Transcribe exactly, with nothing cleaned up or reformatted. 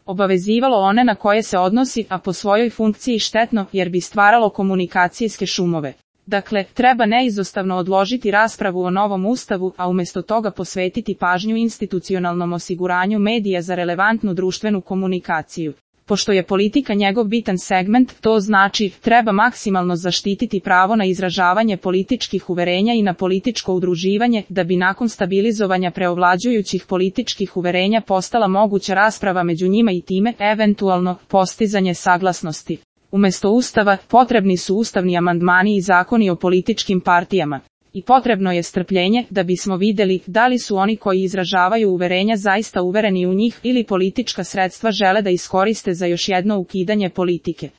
obavezivalo one na koje se odnosi, a po svojoj funkciji štetno, jer bi stvaralo komunikacijske šumove. Dakle, treba neizostavno odložiti raspravu o novom ustavu, a umjesto toga posvetiti pažnju institucionalnom osiguranju medija za relevantnu društvenu komunikaciju. Pošto je politika njegov bitan segment, to znači, treba maksimalno zaštititi pravo na izražavanje političkih uverenja i na političko udruživanje, da bi nakon stabilizovanja preovlađujućih političkih uverenja postala moguća rasprava među njima i time, eventualno, postizanje saglasnosti. Umjesto ustava, potrebni su ustavni amandmani i zakoni o političkim partijama. I potrebno je strpljenje, da bismo vidjeli da li su oni koji izražavaju uverenja zaista uvereni u njih ili politička sredstva žele da iskoriste za još jedno ukidanje politike.